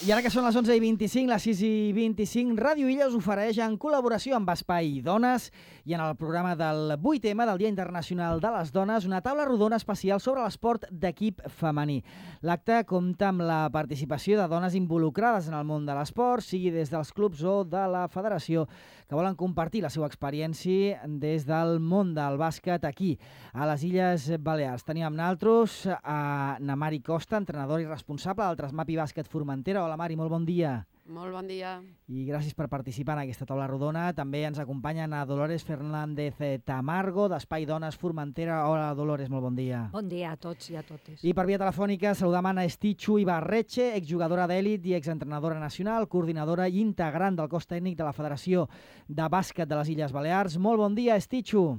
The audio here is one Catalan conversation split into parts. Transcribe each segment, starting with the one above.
I ara que són les 11:25, les 6:25, Ràdio Illa us ofereix en col·laboració amb Espai Dones i en el programa del 8M del Dia Internacional de les Dones una taula rodona especial sobre l'esport d'equip femení. L'acte compta amb la participació de dones involucrades en el món de l'esport, sigui des dels clubs o de la federació, que volen compartir la seva experiència des del món del bàsquet aquí, a les Illes Balears. Tenim amb nosaltres a na Mari Costa, entrenadora i responsable del Trasmapi Bàsquet Formentera. Hola Mari, molt bon dia. Molt bon dia. I gràcies per participar en aquesta taula rodona. També ens acompanyen a Dolores Fernández Tamargo, d'Espai Dones Formentera. Hola Dolores, molt bon dia. Bon dia a tots i a totes. I per via telefònica saludam a Estitxu Ibarretxe, exjugadora d'èlit i exentrenadora nacional, coordinadora i integrant del cos tècnic de la Federació de Bàsquet de les Illes Balears. Molt bon dia, Estitxu.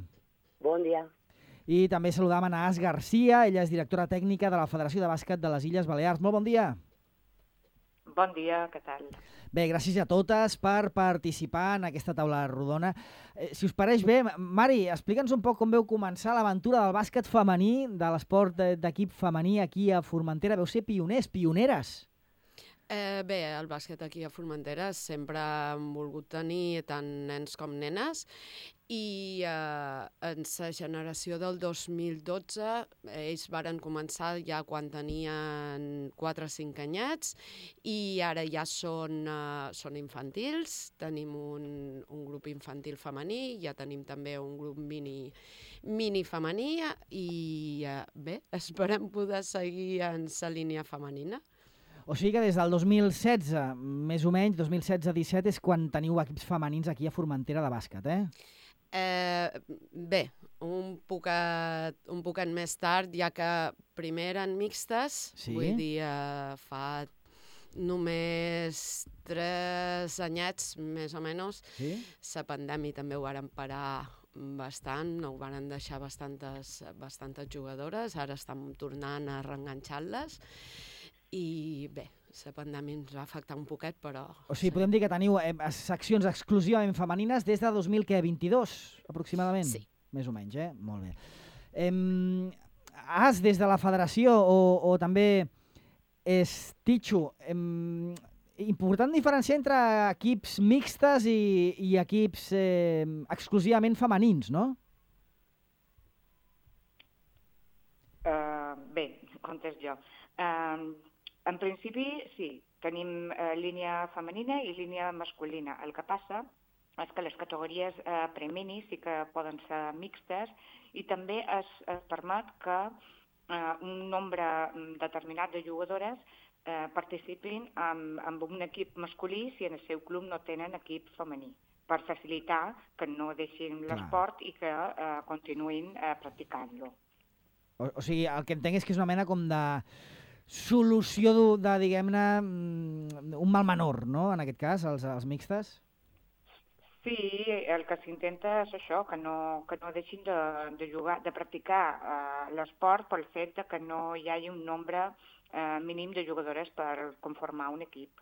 Bon dia. I també saludam a Naas Garcia, ella és directora tècnica de la Federació de Bàsquet de les Illes Balears. Molt bon dia. Bon dia, què tal? Bé, gràcies a totes per participar en aquesta taula rodona. Si us pareix bé, Mari, explica'ns un poc com veu començar l'aventura del bàsquet femení, de l'esport d'equip femení aquí a Formentera. Veu ser pioners, pioneres. Bé, el bàsquet aquí a Formentera sempre hem volgut tenir tant nens com nenes i en la generació del 2012 ells varen començar ja quan tenien 4 o 5 anyets i ara ja són infantils. Tenim un grup infantil femení, ja tenim també un grup mini femení i bé, esperem poder seguir en la línia femenina. O sigui que des del 2016, més o menys, 2016-17, és quan teniu equips femenins aquí a Formentera de bàsquet, Bé, un poquet més tard, ja que primer eren mixtes, sí? Vull dir, fa només 3 anyets, més o menys, sí? La pandèmia també ho varen parar bastant, ho varen deixar bastantes jugadores, ara estem tornant a reenganxar-les, i bé, la pandèmia ens va afectar un poquet, però... O sigui, podem dir que teniu seccions exclusivament femenines des de 2022, aproximadament? Sí. Més o menys, Molt bé. Des de la federació o també Estitxu, important diferenciar entre equips mixtes i equips exclusivament femenins, no? Bé, contesto jo. En principi, sí, tenim línia femenina i línia masculina. El que passa és que les categories premini sí que poden ser mixtes i també es permet que un nombre determinat de jugadores participin en un equip masculí si en el seu club no tenen equip femení, per facilitar que no deixin l'esport i que continuïn practicant-lo. O sigui, el que entenc és que és una mena com de solució de, diguem-ne, un mal menor, no?, en aquest cas, els mixtes? Sí, el que s'intenta és això, que no deixin de jugar, de practicar l'esport pel fet que no hi hagi un nombre mínim de jugadores per conformar un equip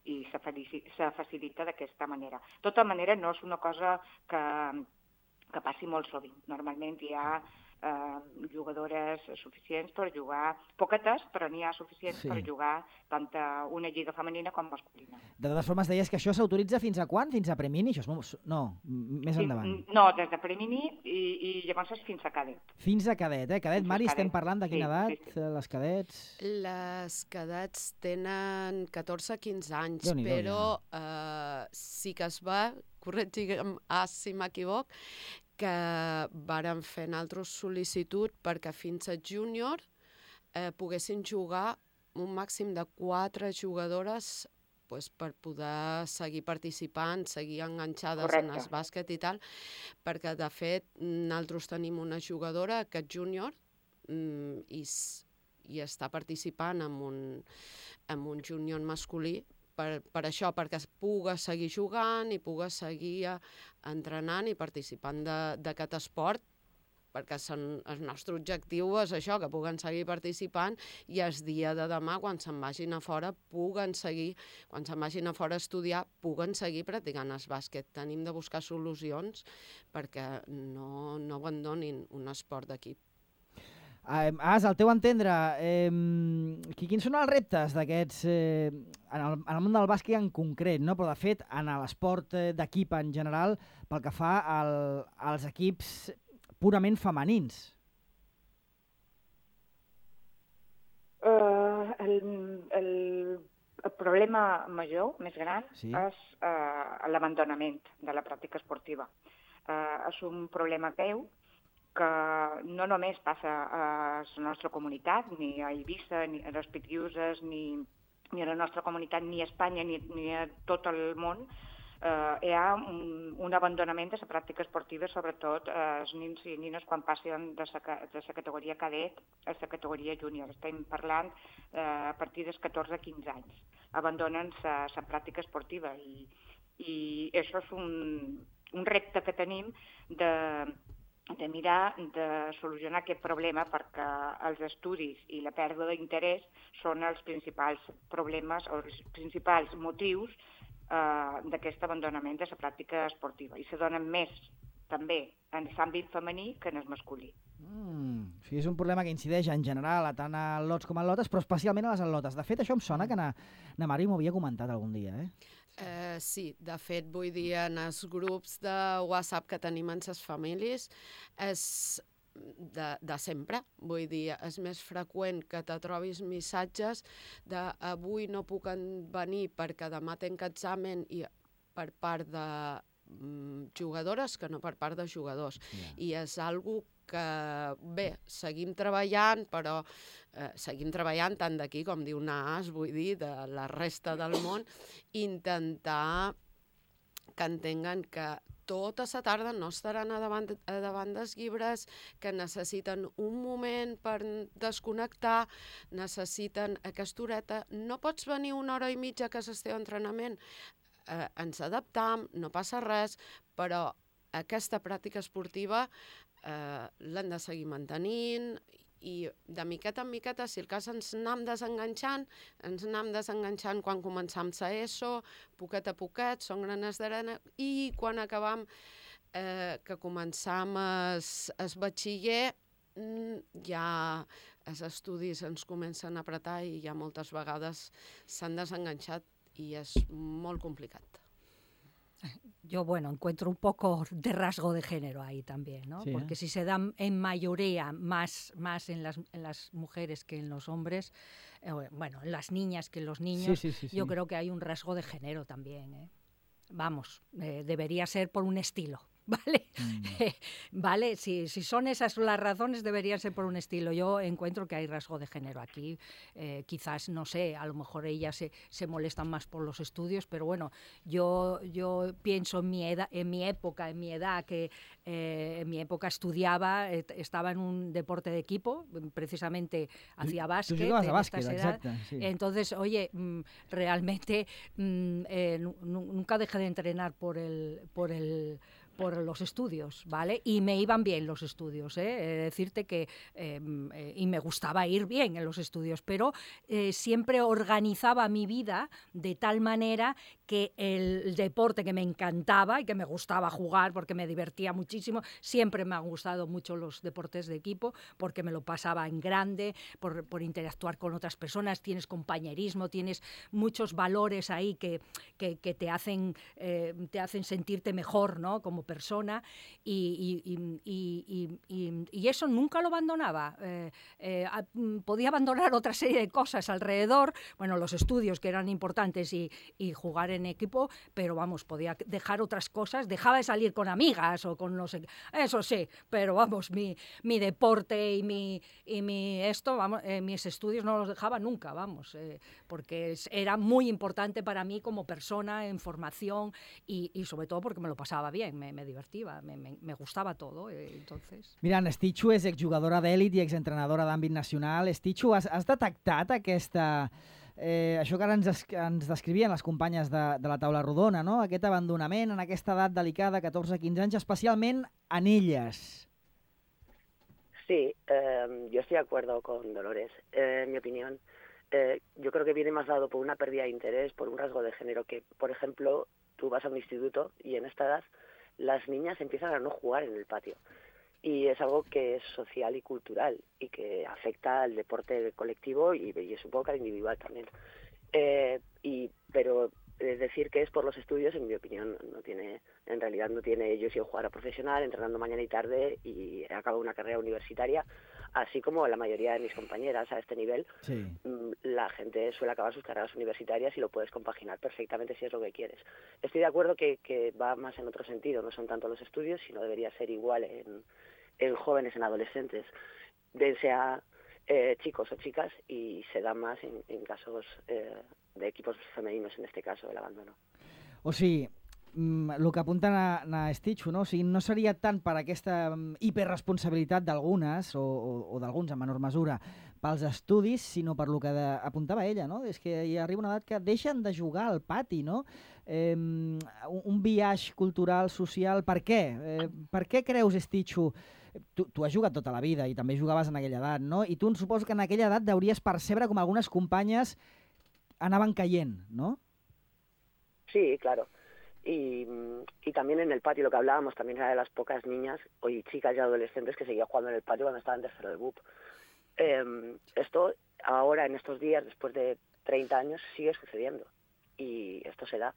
i se facilita d'aquesta manera. De tota manera, no és una cosa que passi molt sovint. Normalment hi ha jugadores suficients per jugar, poquetes, però n'hi ha suficients per jugar tant una lliga femenina com masculina. De totes formes, deies que això s'autoritza fins a quan? Fins a premini? No, més endavant. No, des de premini i llavors és fins a cadet. Fins a cadet, Cadet, Mari, estem parlant de quina edat, sí. Les cadets? Les cadets tenen 14-15 anys, però sí que es va, corregim si m'equivoc, que varen fer nosaltres sol·licitud perquè fins a júnior poguessin jugar un màxim de 4 jugadores per poder seguir participant, seguir enganxades en el bàsquet i tal, perquè de fet nosaltres tenim una jugadora, aquest júnior, i està participant en un júnior masculí, per això, perquè es pugui seguir jugant i pugui seguir entrenant i participant d'aquest esport, perquè el nostre objectiu és això, que puguen seguir participant i el dia de demà, quan se'n vagin a fora, quan se'n vagin a fora a estudiar, puguen seguir practicant el bàsquet. Tenim de buscar solucions perquè no abandonin un esport d'equip. Al teu entendre, quins són els reptes d'aquests, en el món del bàsquet en concret, no? Però de fet en l'esport d'equip en general, pel que fa als equips purament femenins? El problema major, més gran, sí, és l'abandonament de la pràctica esportiva. És un problema greu que no només passa a la nostra comunitat, ni a Eivissa, ni a les Pitiuses, ni a la nostra comunitat, ni a Espanya, ni a tot el món. Hi ha un abandonament de la pràctica esportiva, sobretot els nens i nines quan passen de la categoria cadet a la categoria júnior. Estem parlant a partir dels 14-15 anys. Abandonen la pràctica esportiva i això és un repte que tenim de mirar de solucionar aquest problema, perquè els estudis i la pèrdua d'interès són els principals problemes o els principals motius d'aquest abandonament de la pràctica esportiva, i se donen més també en l'àmbit femení que en el masculí. Sí, és un problema que incideix en general tant a lots com a lotes, però especialment a les atlotes. De fet, això em sona que na Mari m'ho havia comentat algun dia, Sí, de fet, vull dir, en els grups de WhatsApp que tenim en les famílies és de sempre. Vull dir, és més freqüent que te trobis missatges de avui no puc venir perquè demà tenc examen i per part de jugadores que no per part de jugadors. Yeah. I és algo que, bé, seguim treballant, però seguim treballant tant d'aquí com diu Naas, vull dir, de la resta del món, intentar que entenguen que tota la tarda no estaran a davant dels llibres, que necessiten un moment per desconnectar, necessiten aquesta horeta. No pots venir una hora i mitja que és el teu entrenament. Ens adaptam, no passa res, però aquesta pràctica esportiva l'hem de seguir mantenint i de miqueta en miqueta, si el cas ens anam desenganxant quan començam la ESO, poquet a poquet, són granes d'arena, i quan acabam que començam el batxiller, ja els estudis ens comencen a apretar i ja moltes vegades s'han desenganxat i és molt complicat. Yo, encuentro un poco de rasgo de género ahí también, ¿no? Sí, porque si se dan en mayoría más en las mujeres que en los hombres, en las niñas que en los niños, yo creo que hay un rasgo de género también, Vamos, debería ser por un estilo. ¿Vale? ¿Vale? Si son esas las razones, deberían ser por un estilo. Yo encuentro que hay rasgo de género aquí. Quizás, no sé, a lo mejor ellas se molestan más por los estudios, pero bueno, yo pienso en mi edad, que en mi época estudiaba, estaba en un deporte de equipo, precisamente hacía básquet. Tú jugabas a básquet, exacto. Sí. Entonces, oye, realmente nunca dejé de entrenar por los estudios, ¿vale? Y me iban bien los estudios, decirte que y me gustaba ir bien en los estudios, pero siempre organizaba mi vida de tal manera que el deporte que me encantaba y que me gustaba jugar porque me divertía muchísimo, siempre me han gustado mucho los deportes de equipo porque me lo pasaba en grande, por interactuar con otras personas, tienes compañerismo, tienes muchos valores ahí que te hacen sentirte mejor, ¿no? Como persona, y eso nunca lo abandonaba. Podía abandonar otra serie de cosas alrededor, los estudios que eran importantes y jugar en equipo, pero vamos, podía dejar otras cosas, dejaba de salir con amigas o con eso sí, pero vamos, mi deporte y mis estudios no los dejaba nunca, vamos, porque era muy importante para mí como persona en formación y sobre todo porque me lo pasaba bien, me divertia, me gustava tot, entonces... Mira, Stitxu és exjugadora d'èlit i exentrenadora d'àmbit nacional. Stitxu, has detectat això que ara ens descrivien les companyes de la taula rodona, no? Aquest abandonament en aquesta edat delicada, 14-15 anys, especialment en elles? Sí, yo estoy de acuerdo con Dolores. En mi opinión, yo creo que viene más dado por una pérdida de interés, por un rasgo de género, que, por ejemplo, tú vas a un instituto y en esta edad las niñas empiezan a no jugar en el patio. y es algo que es social y cultural y que afecta al deporte colectivo y es un poco al individual también. Pero decir que es por los estudios, en mi opinión, en realidad no tiene. Yo he sido jugadora profesional, entrenando mañana y tarde, y he acabado una carrera universitaria, así como la mayoría de mis compañeras a este nivel. Sí. La gente suele acabar sus carreras universitarias y lo puedes compaginar perfectamente si es lo que quieres. Estoy de acuerdo que va más en otro sentido, no son tanto los estudios, sino debería ser igual en jóvenes, en adolescentes, bien sea chicos o chicas, y se da más en casos de equipos femeninos, en este caso, el abandono. O sigui, el que apunta a Stitchu, no? O sigui, no seria tant per aquesta hiperresponsabilitat d'algunes o d'alguns en menor mesura pels estudis, sinó per lo que apuntava ella, no? És que hi arriba una edat que deixen de jugar al pati, no? Un biaix cultural, social, per què? Per què creus, Stitchu? Tu has jugat tota la vida i també jugaves en aquella edat, no? I tu suposo que en aquella edat deuries percebre com algunes companyes anaven caient, ¿no? Sí, claro. Y también en el patio, lo que hablábamos, también era de las pocas niñas y chicas y adolescentes que seguían jugando en el patio cuando estaban en tercero de BUP. Esto ahora, en estos días, después de 30 años, sigue sucediendo. Y esto se da.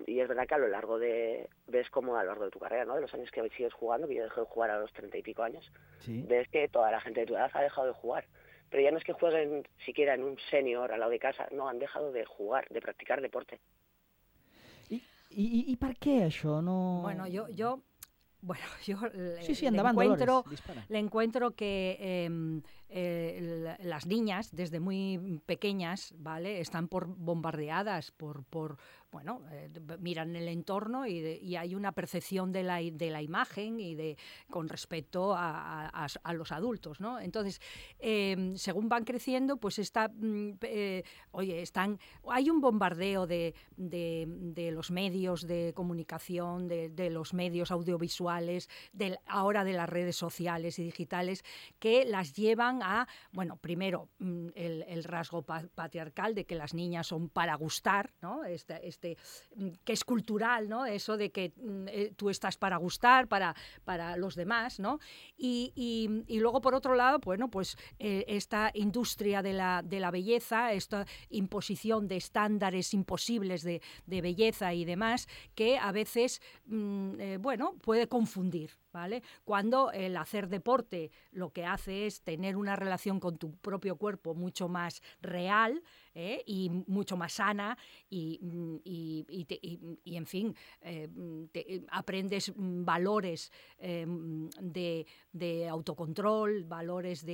Y es verdad que a lo largo ves como a lo largo de tu carrera, ¿no? De los años que sigues jugando, que yo dejé de jugar a los 30 y pico años, ¿sí? Ves que toda la gente de tu edad ha dejado de jugar. Pero ya no es que jueguen siquiera en un senior al lado de casa, no, han dejado de jugar, de practicar deporte. ¿Y per què això? No... Bueno, yo le encuentro que las niñas, desde muy pequeñas, ¿vale? Están bombardeadas por miran el entorno y hay una percepción de la imagen y con respecto a los adultos, ¿no? Entonces, según van creciendo, pues hay un bombardeo de los medios de comunicación, de los medios audiovisuales, ahora de las redes sociales y digitales, que las llevan a, bueno, primero el rasgo patriarcal de que las niñas son para gustar, ¿no? Que es cultural, ¿no? Eso de que tú estás para gustar, para los demás, ¿no? Y luego, por otro lado, bueno, pues esta industria de la belleza, esta imposición de estándares imposibles de belleza y demás, que a veces, puede confundir, ¿vale? Cuando el hacer deporte lo que hace es tener una relación con tu propio cuerpo mucho más real, y mucho más sana y en fin, aprendes valores de autocontrol, valores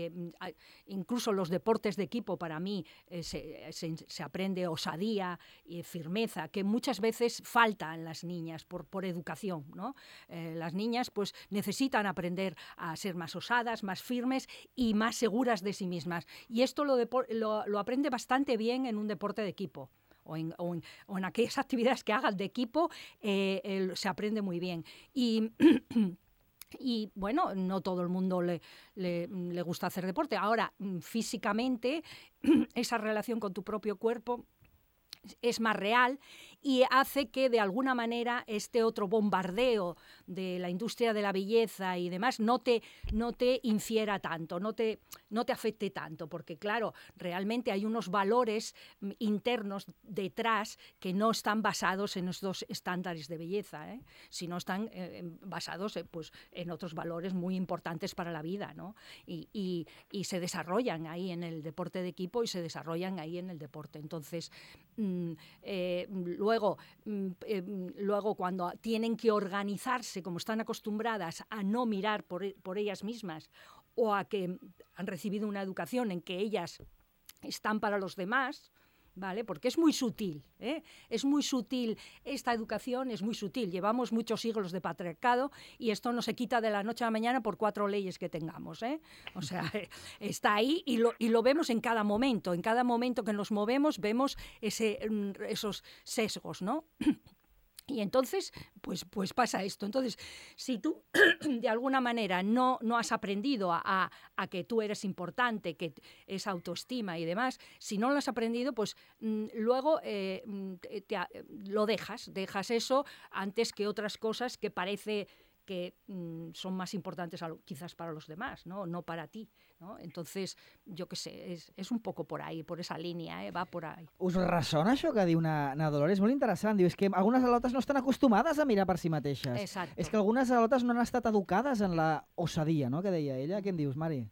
incluso los deportes de equipo. Para mí se aprende osadía y firmeza, que muchas veces falta en las niñas por educación, ¿no? Las niñas pues necesitan aprender a ser más osadas, más firmes y más seguras de sí mismas, y esto lo aprende bastante bien en un deporte de equipo o en aquellas actividades que hagan de equipo. Se aprende muy bien y bueno, no todo el mundo le gusta hacer deporte. Ahora, físicamente, esa relación con tu propio cuerpo es más real y hace que de alguna manera este otro bombardeo de la industria de la belleza y demás no te infiera tanto, no te afecte tanto, porque claro, realmente hay unos valores internos detrás que no están basados en estos estándares de belleza, sino están basados en otros valores muy importantes para la vida, ¿no? Y se desarrollan ahí en el deporte de equipo y se desarrollan ahí en el deporte. Entonces, luego cuando tienen que organizarse, como están acostumbradas a no mirar por ellas mismas o a que han recibido una educación en que ellas están para los demás, ¿vale? Porque es muy sutil, es muy sutil, esta educación es muy sutil. Llevamos muchos siglos de patriarcado y esto no se quita de la noche a la mañana por 4 leyes que tengamos, O sea, está ahí y lo vemos en cada momento que nos movemos, vemos esos sesgos, ¿no? Y entonces, pues pasa esto. Entonces, si tú de alguna manera no has aprendido a que tú eres importante, que es autoestima y demás, si no lo has aprendido, pues luego lo dejas eso antes que otras cosas que parece que son más importantes quizás para los demás, no para ti, ¿no? Entonces, yo qué sé, és un poco por ahí, por esa línia, va por ahí. Us ressona això que diu na Dolores? Molt interessant. Diu, és que algunes al·lotes no estan acostumades a mirar per si mateixes. Exacto. És que algunes al·lotes no han estat educades en la osadia, no?, que deia ella. Què en dius, Mari?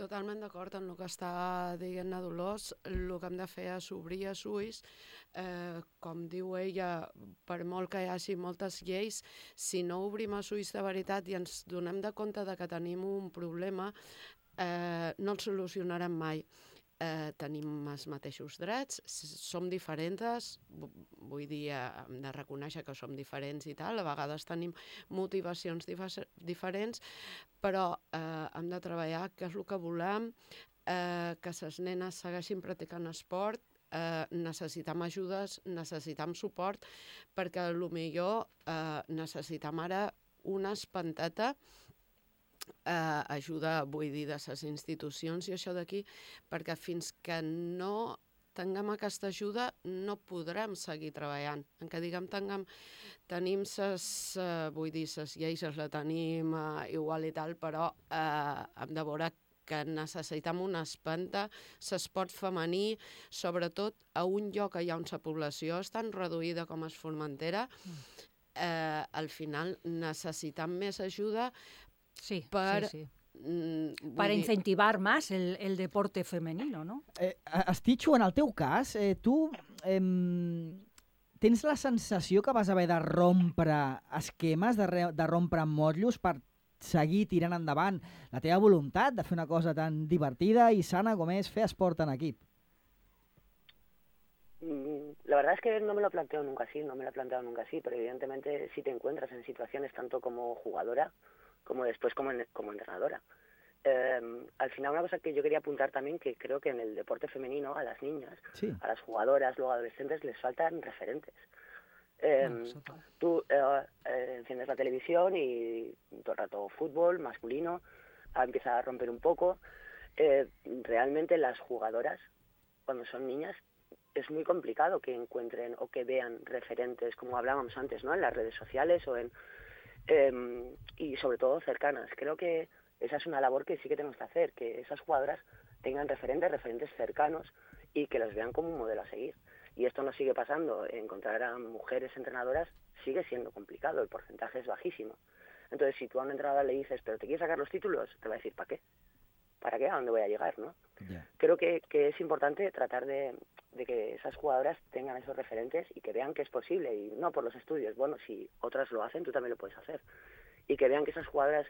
Totalment d'acord amb el que està dient la Dolors. El que hem de fer és obrir els ulls. Com diu ella, per molt que hi hagi moltes lleis, si no obrim els ulls de veritat i ens donem de compte de que tenim un problema, no el solucionarem mai. Tenim els mateixos drets, som diferents, vull dir, hem de reconèixer que som diferents i tal, a vegades tenim motivacions diferents, però hem de treballar què és el que volem, que les nenes segueixin practicant esport, necessitem ajudes, necessitem suport, perquè potser necessitem ara una espanteta, ajuda, vull dir, de les institucions i això d'aquí, perquè fins que no tinguem aquesta ajuda no podrem seguir treballant. En què diguem tenim vull dir, les lleis les tenim igual i tal, però hem de veure que necessitem una espanta, l'esport femení, sobretot a un lloc allà on la població és tan reduïda com és Formentera, al final necessitem més ajuda. Sí, para incentivar más el deporte femenino, ¿no? Estitxo, en el teu cas, tu tens la sensació que vas haver de rompre esquemes, de rompre motllos per seguir tirant endavant la teva voluntat de fer una cosa tan divertida y sana com és fer esport en equip? La verdad es que no me lo planteo nunca así, pero evidentemente si te encuentras en situaciones tanto como jugadora como después como entrenadora. Al final una cosa que yo quería apuntar también, que creo que en el deporte femenino a las niñas, sí, a las jugadoras, luego adolescentes, les faltan referentes. Tú enciendes la televisión y todo el rato fútbol masculino, empieza a romper un poco. Realmente las jugadoras, cuando son niñas, es muy complicado que encuentren o que vean referentes, como hablábamos antes, ¿no?, en las redes sociales o y sobre todo cercanas. Creo que esa es una labor que sí que tenemos que hacer, que esas jugadoras tengan referentes cercanos y que las vean como un modelo a seguir. Y esto no sigue pasando. Encontrar a mujeres entrenadoras sigue siendo complicado, el porcentaje es bajísimo. Entonces, si tú a una entrenadora le dices, pero ¿te quieres sacar los títulos?, te va a decir, ¿para qué? ¿Para qué? ¿A dónde voy a llegar?, ¿no? Yeah. Creo que es importante tratar de que esas jugadoras tengan esos referentes y que vean que es posible, y no por los estudios. Bueno, si otras lo hacen, tú también lo puedes hacer. Y que vean que esas jugadoras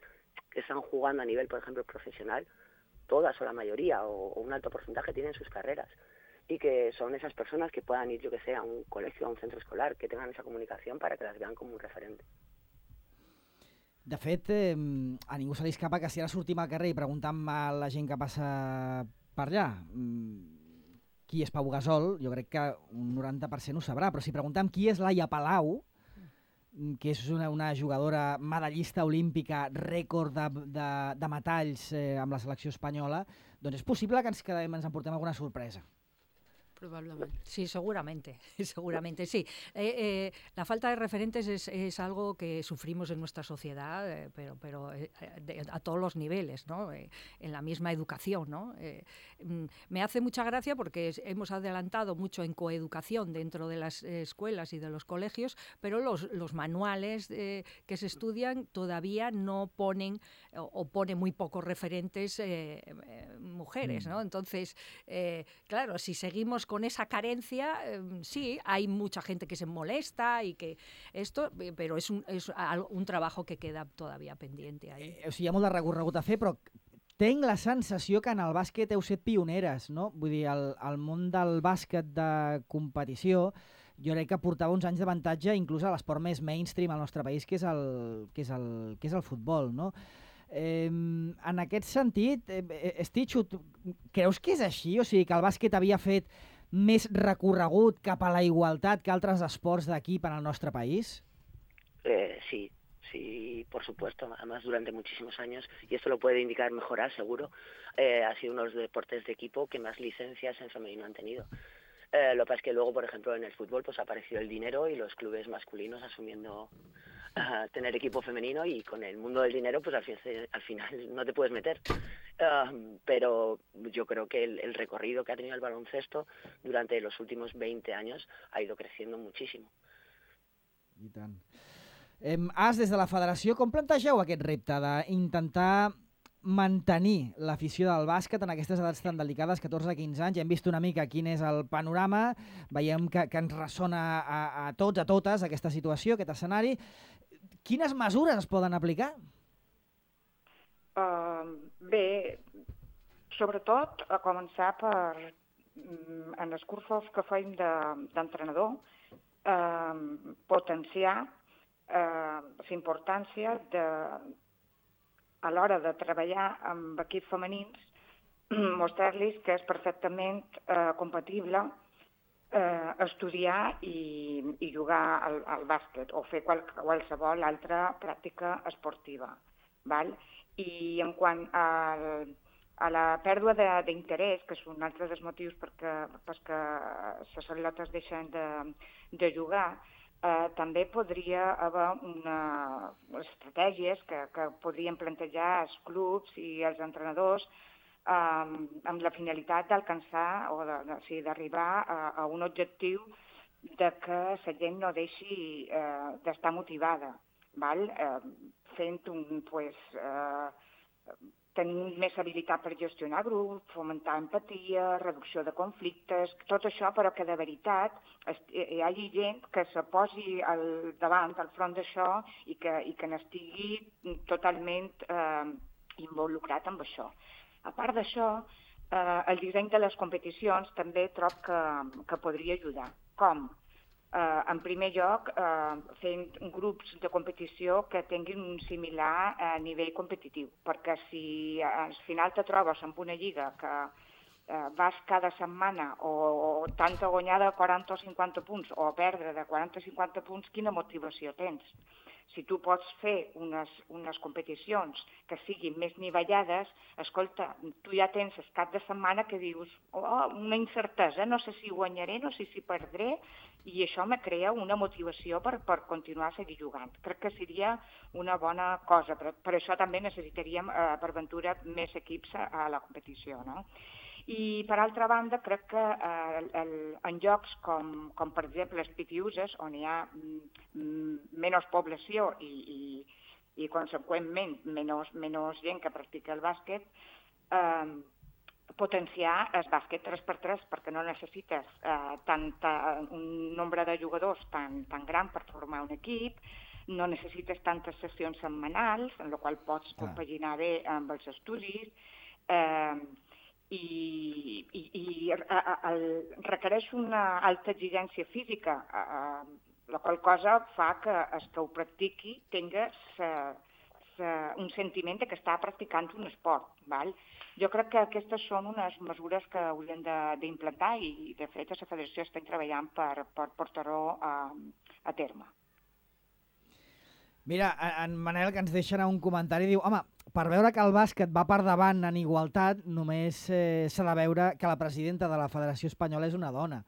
que están jugando a nivel, por ejemplo, profesional, todas o la mayoría o un alto porcentaje tienen sus carreras. Y que son esas personas que puedan ir, yo que sé, a un colegio, a un centro escolar, que tengan esa comunicación para que las vean como un referente. De fet, a ningú se li escapa que si ara sortim al carrer i preguntem a la gent que passa per allà qui és Pau Gasol, jo crec que un 90% ho sabrà, però si preguntem qui és Laia Palau, que és una jugadora medallista olímpica, rècord de metalls amb la selecció espanyola, doncs és possible que ens emportem alguna sorpresa. Probablemente. Sí, seguramente, sí. La falta de referentes es algo que sufrimos en nuestra sociedad, pero a todos los niveles, ¿no? En la misma educación, ¿no? Me hace mucha gracia porque hemos adelantado mucho en coeducación dentro de las escuelas y de los colegios, pero los manuales que se estudian todavía no ponen o ponen muy pocos referentes mujeres, ¿no? Entonces, claro, si seguimos con esa carencia, sí, hay mucha gente que se molesta y que esto, però és un trabajo que queda todavía pendiente ahí. O sigui, hi ha molt de recorregut a fer, però tenc la sensació que en el bàsquet heu set pioneres, no? Vull dir, el món del bàsquet de competició jo crec que portava uns anys d'avantatge inclús a l'esport més mainstream al nostre país, que és el futbol, no? En aquest sentit, Estitxo, creus que és així? O sigui, que el bàsquet havia fet més recorregut cap a la igualtat que altres esports d'equip en el nuestro país? Sí, por supuesto. Además, durante muchísimos años, y esto lo puede indicar mejorar seguro, ha sido uno de los deportes de equipo que más licencias en femenino han tenido. Lo que pasa es que luego, por ejemplo, en el fútbol pues ha aparecido el dinero y los clubes masculinos asumiendo tener equipo femenino, y con el mundo del dinero pues al final no te puedes meter. Pero yo creo que el recorrido que ha tenido el baloncesto durante los últimos 20 años ha ido creciendo muchísimo. I tant. As, des de la federació, com plantegeu aquest repte d'intentar mantenir l'afició del bàsquet en aquestes edats tan delicades, 14-15 anys? Hem vist una mica quin és el panorama, veiem que ens ressona a tots, a totes, aquesta situació, aquest escenari. Quines mesures es poden aplicar? Bé, sobretot a començar en els cursos que feim d'entrenador, potenciar la importància a l'hora de treballar amb equips femenins, mostrar-los que és perfectament compatible estudiar i jugar al bàsquet o fer qualsevol altra pràctica esportiva. Val? I en quant a la pèrdua d'interès, que és un altre dels motius perquè les atletes deixen de jugar, també podria haver estratègies que podrien plantejar els clubs i els entrenadors amb la finalitat d'alcançar o d'arribar a un objectiu de que la gent no deixi d'estar motivada, fent tenir més habilitat per gestionar grups, fomentar empatia, reducció de conflictes, tot això, però que de veritat hi hagi gent que se posi al front d'això i que n'estigui totalment involucrat amb això. A part d'això, el disseny de les competicions també trob que podria ajudar. Com? En primer lloc, fent grups de competició que tinguin un similar nivell competitiu, perquè si al final te trobes amb una lliga que vas cada setmana o tanta guanyada de 40 o 50 punts o perdre de 40 o 50 punts, quina motivació tens? Si tu pots fer unes competicions que siguin més nivellades, escolta, tu ja tens el cap de setmana que dius una incertesa, no sé si guanyaré, no sé si perdré, i això me crea una motivació per continuar a seguir jugant. Crec que seria una bona cosa, però per això també necessitaríem, per ventura, més equips a la competició, no? I, per altra banda, crec que en llocs com per exemple, els pitiuses, on hi ha menys població i conseqüentment, menys gent que practica el bàsquet, potenciar el bàsquet 3x3, perquè no necessites un nombre de jugadors tan gran per formar un equip, no necessites tantes sessions setmanals, en la qual pots compaginar bé amb els estudis, i requereix una alta exigència física, la qual cosa fa que el que ho practiqui tingui un sentiment que està practicant un esport. Jo crec que aquestes són unes mesures que haurien d'implantar i, de fet, a la Federació estem treballant per portar-ho a terme. Mira, en Manel, que ens deixa anar un comentari, diu: home, per veure que el bàsquet va per davant en igualtat, només s'ha de veure que la presidenta de la Federació Espanyola és una dona.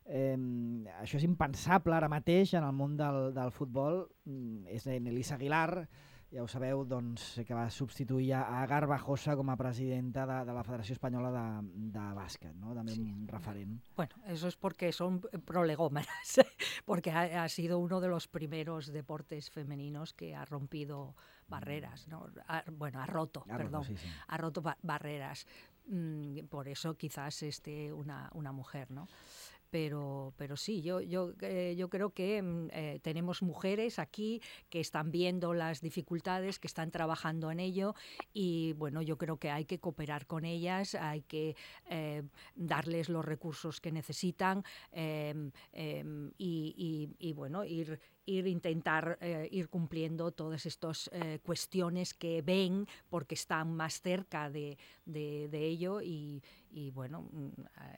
Això és impensable ara mateix en el món del futbol. És Elisa Aguilar, ja ho sabeu, doncs, que va substituir a Garbajosa com a presidenta de la Federació Espanyola de Bàsquet, ¿no? També un referent. Bueno, eso es porque son prolegómenas, porque ha sido uno de los primeros deportes femeninos que ha rompido barreras, ¿no? Ha roto barreras. Por eso quizás esté una mujer, ¿no? Pero sí, yo creo que tenemos mujeres aquí que están viendo las dificultades, que están trabajando en ello y bueno, yo creo que hay que cooperar con ellas, hay que darles los recursos que necesitan y bueno, intentar ir cumpliendo todas estas cuestiones que ven porque están más cerca de ello y bueno,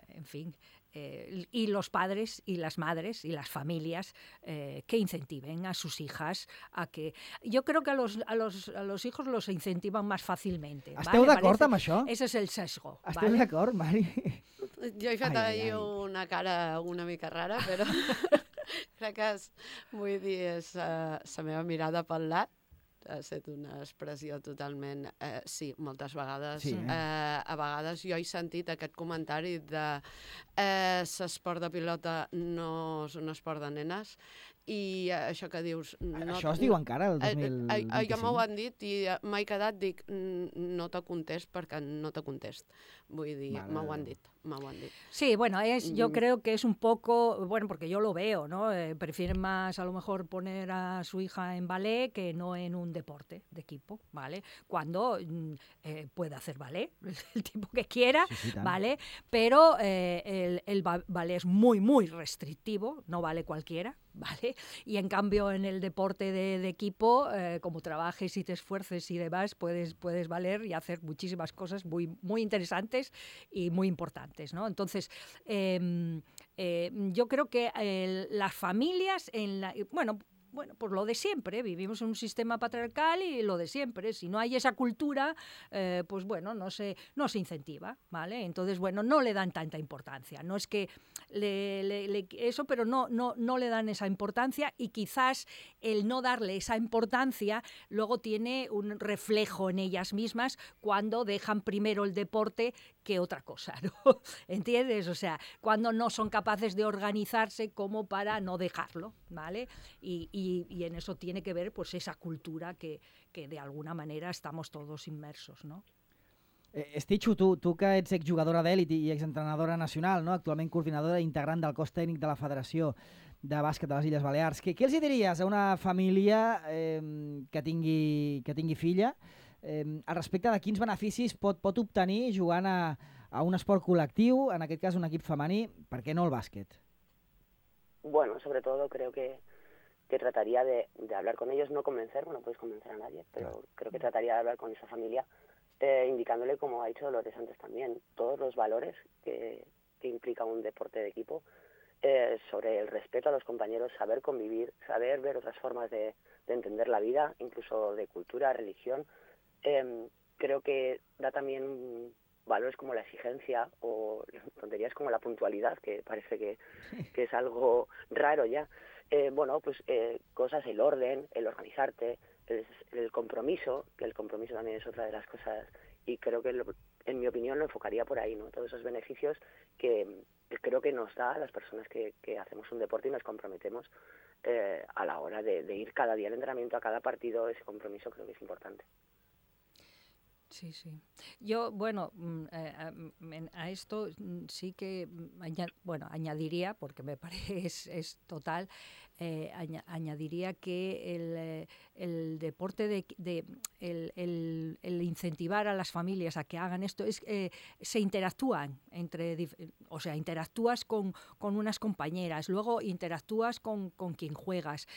en fin, y los padres y las madres y las familias que incentiven a sus hijas a que... Yo creo que a los hijos los incentivan más fácilmente. Esteu d'acord amb això? Ese es el sesgo. Esteu d'acord, Mari? Jo he fet ahir una cara una mica rara, però crec que vull dir, és la meva mirada pel lat. Ha estat una expressió totalment... sí, moltes vegades. Sí, a vegades jo he sentit aquest comentari de l'esport de pilota no és un esport de nenes, i això que dius... Això es diu encara, el 2025? Jo m'ho han dit i m'he quedat, dic, no te contest perquè no te contest. Vull dir, m'ho han dit. Sí, bueno, yo creo que es un poco, bueno, porque yo lo veo, ¿no? Prefieren más a lo mejor poner a su hija en ballet que no en un deporte de equipo, ¿vale? Cuando puede hacer ballet, el tipo que quiera, sí, ¿vale? Pero el ballet es muy, muy restrictivo, no vale cualquiera, ¿vale? Y en cambio en el deporte de equipo, como trabajes y te esfuerces y demás, puedes valer y hacer muchísimas cosas muy, muy interesantes y muy importantes, ¿no? Entonces, yo creo que las familias, bueno, pues lo de siempre, vivimos en un sistema patriarcal y lo de siempre. Si no hay esa cultura, pues bueno, no se incentiva, ¿vale? Entonces, bueno, no le dan tanta importancia. No es que eso, pero no le dan esa importancia, y quizás el no darle esa importancia luego tiene un reflejo en ellas mismas cuando dejan primero el deporte que otra cosa, ¿no? ¿Entiendes? O sea, cuando no son capaces de organizarse como para no dejarlo, ¿vale? Y en eso tiene que ver pues esa cultura que de alguna manera estamos todos inmersos, ¿no? Estitxo, tu que ets exjugadora d'èlit i exentrenadora nacional, no? Actualment coordinadora integrant del cos tècnic de la Federació de Bàsquet de les Illes Balears, què els diries a una família que tingui filla al respecte de quins beneficis pot obtenir jugant a un esport col·lectiu, en aquest cas un equip femení, per què no el bàsquet? Bueno, sobre todo creo que trataría de hablar con ellos, no convencer, no puedes convencer a nadie, pero creo que trataría de hablar con esa familia, indicándole, como ha dicho Dolores antes también, todos los valores que implica un deporte de equipo, sobre el respeto a los compañeros, saber convivir, saber ver otras formas de entender la vida, incluso de cultura, religión. Creo que da también valores como la exigencia o tonterías como la puntualidad, que parece que es algo raro ya. Bueno, pues cosas, el orden, el organizarte, el compromiso, que el compromiso también es otra de las cosas, y creo que en mi opinión lo enfocaría por ahí, ¿no? Todos esos beneficios que creo que nos da a las personas que hacemos un deporte y nos comprometemos a la hora de ir cada día al entrenamiento, a cada partido. Ese compromiso creo que es importante. Sí, sí. Yo, bueno, a esto sí que, añadiría, porque me parece es total, añadiría que el deporte el incentivar a las familias a que hagan esto se interactúan interactúas con unas compañeras, luego interactúas con quien juegas,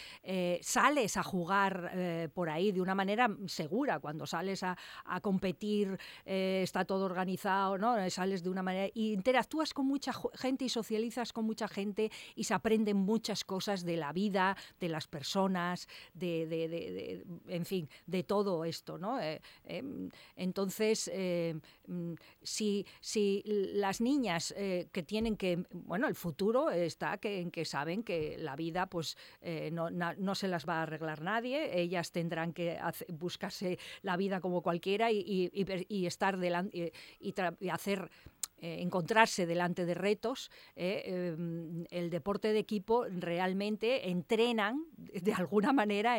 sales a jugar por ahí de una manera segura. Cuando sales a competir, está todo organizado, ¿no? Sales de una manera, y interactúas con mucha gente y socializas con mucha gente y se aprenden muchas cosas de la vida, de las personas, en fin, de todo esto, ¿no? Entonces, si las niñas que tienen que, bueno, el futuro está en que saben que la vida pues no se las va a arreglar nadie, ellas tendrán que buscarse la vida como cualquiera y estar delante y hacer encontrarse delante de retos. El deporte de equipo realmente entrenan, de alguna manera,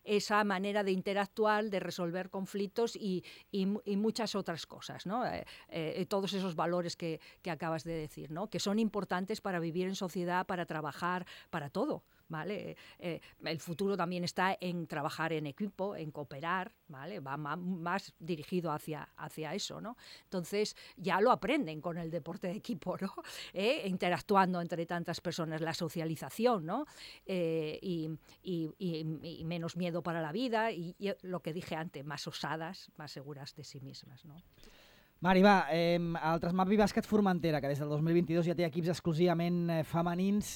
esa manera de interactuar, de resolver conflictos y muchas otras cosas, ¿no? Todos esos valores que acabas de decir, ¿no? Que son importantes para vivir en sociedad, para trabajar, para todo, ¿vale? El futuro también está en trabajar en equipo, en cooperar, ¿vale? Va más dirigido hacia eso, ¿no? Entonces ya lo aprenden con el deporte de equipo, ¿no? Interactuando entre tantas personas, la socialización, ¿no? Y menos miedo para la vida y lo que dije antes, más osadas, más seguras de sí mismas, ¿no? Mari, va, el Trasmapi Bàsquet Formentera, que des del 2022 ja té equips exclusivament femenins,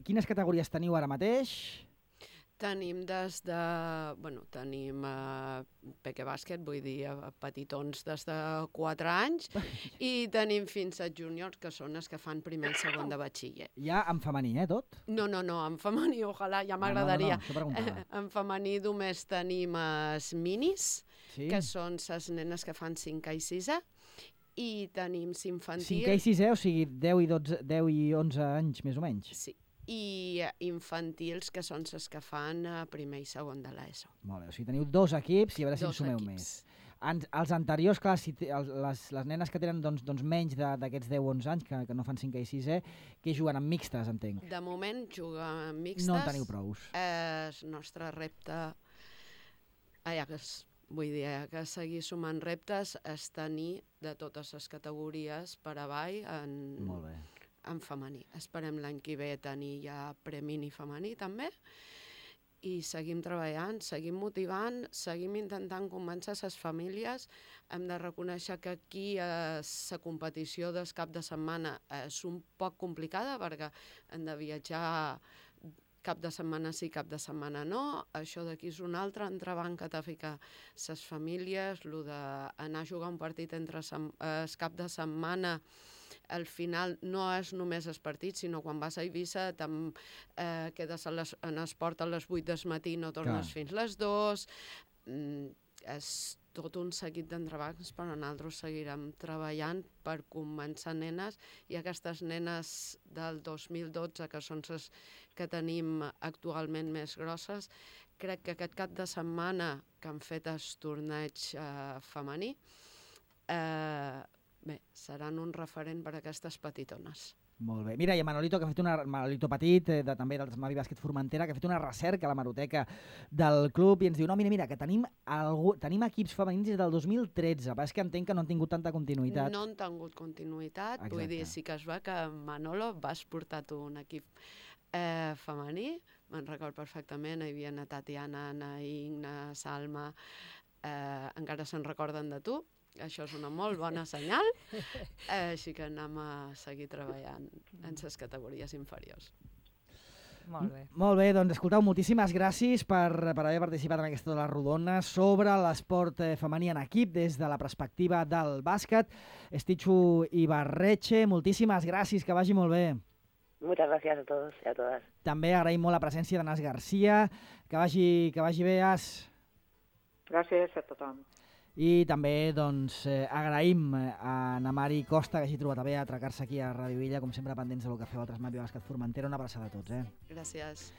quines categories teniu ara mateix? Tenim des de... tenim peque bàsquet, vull dir, petitons des de 4 anys, i tenim fins a júniors, que són els que fan primer i segon de batxiller. Ja en femení, tot? No, en femení, ojalà, ja m'agradaria. No, això preguntava. En femení només tenim els minis, que són les nenes que fan 5 i 6, i tenim infantil... 5 i 6, o sigui, 10 i 11 anys, més o menys? Sí. I infantils, que són les que fan primer i segon de l'ESO. Molt bé, o sigui, teniu 2 equips i a veure si en sumeu més. Els anteriors, clar, les nenes que tenen menys d'aquests 10-11 anys, que no fan 5 i 6, que juguen amb mixtes, entenc. De moment juguen amb mixtes. No en teniu prous. El nostre repte, vull dir, que seguir sumant reptes, és tenir de totes les categories per avall Molt bé. En femení. Esperem l'any que ve tenir ja premini femení també, i seguim treballant, seguim motivant, seguim intentant convèncer les famílies. Hem de reconèixer que aquí la competició del cap de setmana és un poc complicada, perquè hem de viatjar cap de setmana sí, cap de setmana no. Això d'aquí és un altre entrebanc que t'ha ficat les famílies, el d'anar a jugar un partit entre el cap de setmana. Al final no és només el partit, sinó quan vas a Eivissa quedes en esport a les 8 del matí, no tornes fins les 2. És tot un seguit d'entrebancs, però nosaltres seguirem treballant per convèncer nenes, i aquestes nenes del 2012, que són les que tenim actualment més grosses, crec que aquest cap de setmana que han fet el torneig femení, seran un referent per a aquestes petitones. Molt bé. Mira, i Manolito, que ha fet Manolito Petit, també del Mavi Bàsquet Formentera, que ha fet una recerca a l'hemeroteca del club i ens diu, no, mira, que tenim equips femenins des del 2013, però és que entenc que no han tingut tanta continuïtat. No han tingut continuïtat. Exacte. Vull dir, sí que es va que Manolo vas portar tu un equip femení, me'n record perfectament, hi havia na Tatiana, na Igna, Salma, encara se'n recorden de tu. Això és una molt bona senyal, així que anem a seguir treballant en les categories inferiors. Molt bé. Molt bé, doncs escolteu, moltíssimes gràcies per haver participat en aquesta de les rodones sobre l'esport femení en equip des de la perspectiva del bàsquet. Estichu Ibarretxe, moltíssimes gràcies, que vagi molt bé. Muchas gracias a todos y a todas. També agraïm molt la presència d'Anàs Garcia, que vagi bé, As. Gràcies a tothom. I també agraïm a na Mari Costa, que hagi trobat a bé atracar-se aquí a Ràdio Illa, com sempre pendents del que feu altres Mavi Bàsquet Formentera. Una abraçada a tots. Gràcies.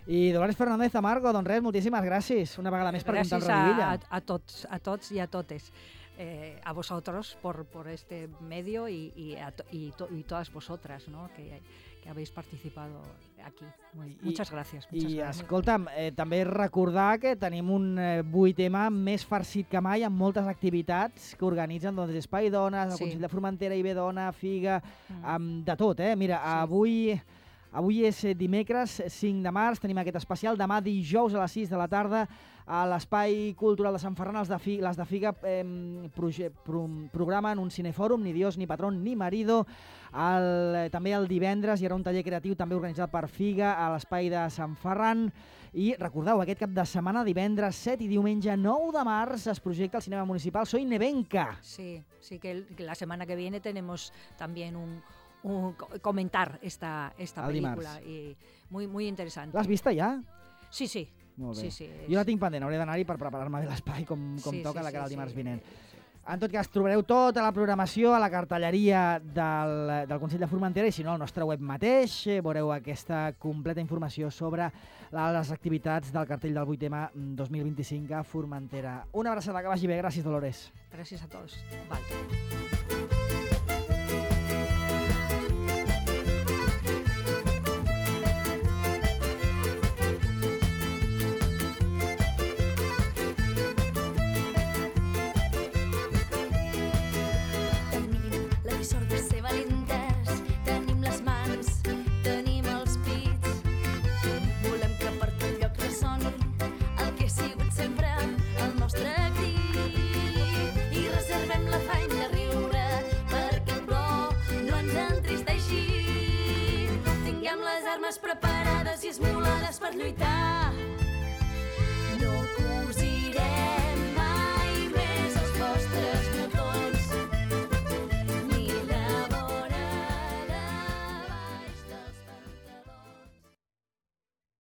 I Dolores Fernández Amargo, doncs res, moltíssimes gràcies. Una vegada més per comptar amb Ràdio Illa. Gràcies a tots y a totes. A vosotros por este medio y todas vosotras, ¿no? que habéis participado aquí. Muchas gracias. Escolta'm, també recordar que tenim un 8M més farcit que mai, amb moltes activitats que organitzen Espai Dones, el Consell de Formentera, IB Dona, Figa, de tot. Mira, avui és dimecres 5 de març, tenim aquest especial. Demà dijous a les 6 de la tarda a l'Espai Cultural de Sant Ferran, les de Figa programen un cinefòrum, ni Dios, ni patrón, ni marido. També el divendres hi haurà un taller creatiu també organitzat per Figa a l'Espai de Sant Ferran. I recordeu, aquest cap de setmana, divendres 7 i diumenge 9 de març, es projecta al Cinema Municipal Soy Nevenka. Sí, que la semana que viene tenemos también comentar esta película. Y muy interesante. L'has vista ja? Sí. Molt bé. Sí, jo la tinc pendent, hauré d'anar-hi per preparar-me bé l'espai com toca de cara al dimarts vinent. En tot cas, trobareu tota la programació a la cartelleria del Consell de Formentera, i si no, al nostre web mateix veureu aquesta completa informació sobre les activitats del cartell del 8M 2025 a Formentera. Una abraçada, que vagi bé. Gràcies, Dolores. Gràcies a tots. Vale. Preparades i esmolades per lluitar.